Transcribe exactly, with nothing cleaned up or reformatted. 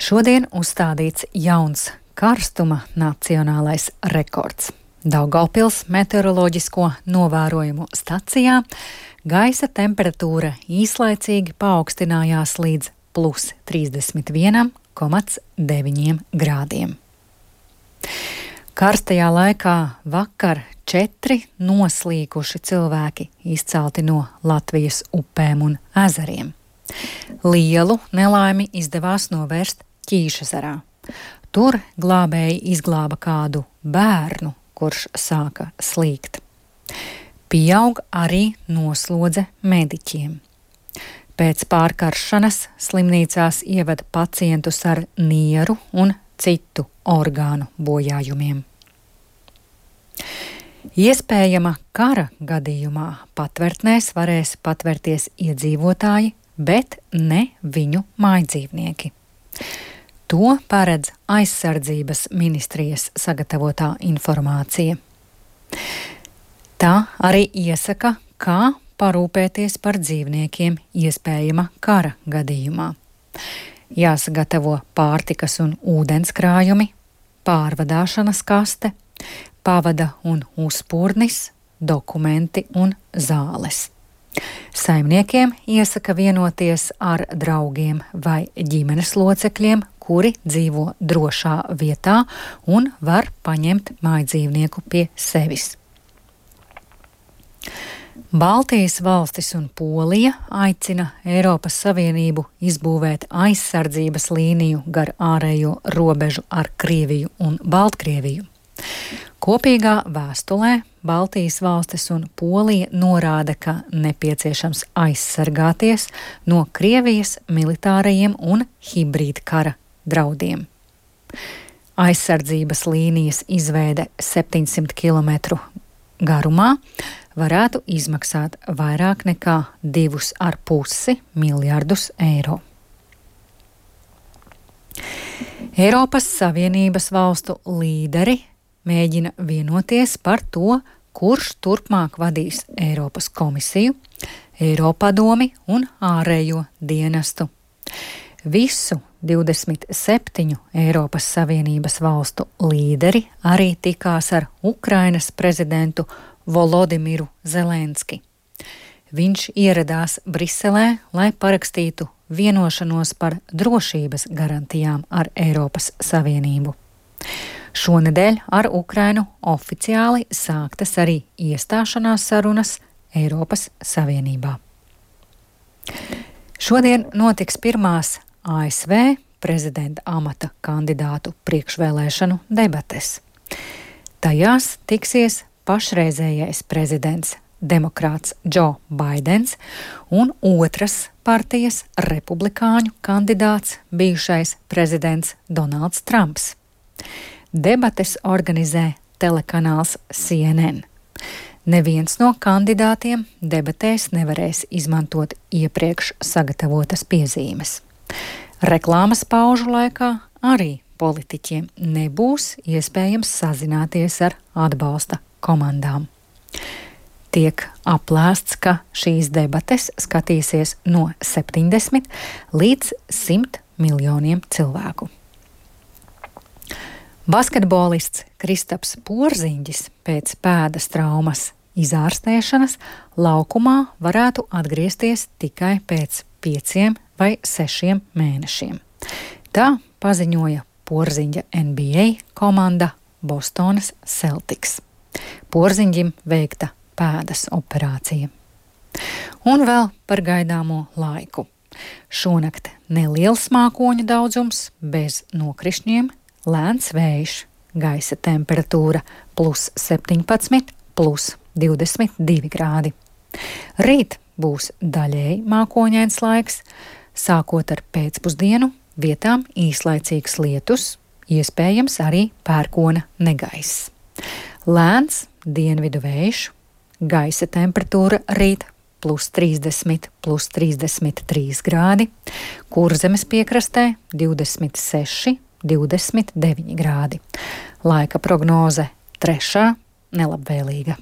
Šodien uzstādīts jauns karstuma nacionālais rekords. Daugavpils meteoroloģisko novērojumu stacijā gaisa temperatūra īslaicīgi paaugstinājās līdz plus trīsdesmit viens komats deviņi grādiem. Karstajā laikā vakar četri noslīkuši cilvēki izcelti no Latvijas upēm un ezeriem. Lielu nelaimi izdevās novērst Ķīšezerā. Tur glābēji izglāba kādu bērnu, kurš sāka slīgt. Pieaug arī noslodze mediķiem. Pēc pārkaršanas slimnīcās ieved pacientus ar nieru un citu orgānu bojājumiem. Iespējama kara gadījumā patvērtnēs varēs patvērties iedzīvotāji, bet ne viņu mājdzīvnieki. To paredz aizsardzības ministrijas sagatavotā informācija. Tā arī iesaka, kā parūpēties par dzīvniekiem iespējama kara gadījumā. Jāsagatavo pārtikas un ūdens krājumi, pārvadāšanas kaste, pavada un uzpūrnis, dokumenti un zāles. Saimniekiem iesaka vienoties ar draugiem vai ģimenes locekļiem, kuri dzīvo drošā vietā un var paņemt mājdzīvnieku pie sevis. Baltijas valstis un Polija aicina Eiropas Savienību izbūvēt aizsardzības līniju gar ārējo robežu ar Krieviju un Baltkrieviju. Kopīgā vēstulē Baltijas valstis un Polija norāda, ka nepieciešams aizsargāties no Krievijas militārajiem un hibrīdkara draudiem. Aizsardzības līnijas izveide septiņsimt kilometru garumā varētu izmaksāt vairāk nekā divus ar pusi miljardus eiro. Eiropas Savienības valstu līderi mēģina vienoties par to, kurš turpmāk vadīs Eiropas komisiju, Eiropadomi un ārējo dienestu. Visu divdesmit septiņu Eiropas Savienības valstu līderi arī tikās ar Ukrainas prezidentu Volodimiru Zelenski. Viņš ieradās Briselē, lai parakstītu vienošanos par drošības garantijām ar Eiropas Savienību. Šonedēļ ar Ukrainu oficiāli sāktas arī iestāšanās sarunas Eiropas Savienībā. Šodien notiks pirmās A S V prezidenta amata kandidātu priekšvēlēšanu debates. Tajās tiksies pašreizējais prezidents demokrāts Džo Baidens un otras partijas republikāņu kandidāts bijušais prezidents Donalds Trumps. Debates organizē telekanāls C N N. Neviens no kandidātiem debatēs nevarēs izmantot iepriekš sagatavotas piezīmes. Reklāmas paužu laikā arī politiķiem nebūs iespējams sazināties ar atbalsta komandām. Tiek aplēsts, ka šīs debates skatīsies no septiņdesmit līdz simt miljoniem cilvēku. Basketbolists Kristaps Porziņģis pēc pēdas traumas izārstēšanas laukumā varētu atgriezties tikai pēc pieciem vai sešiem mēnešiem. Tā paziņoja Porziņģa N B A komanda Bostonas Celtics. Porziņģim veikta pēdas operācija. Un vēl par gaidāmo laiku. Šonakt neliels mākoņu daudzums bez nokrišņiem, lēns vējš, gaisa temperatūra plus septiņpadsmit, plus divdesmit divi grādi. Rīt būs daļēji mākoņains laiks, sākot ar pēcpusdienu, vietām īslaicīgs lietus, iespējams arī pērkona negaiss. Lēns dienvidu vējš, gaisa temperatūra rīt plus trīsdesmit, plus trīsdesmit trīs grādi, Kurzemes piekrastē divdesmit seši, divdesmit deviņi grādi. Laika prognoze trešā nelabvēlīga.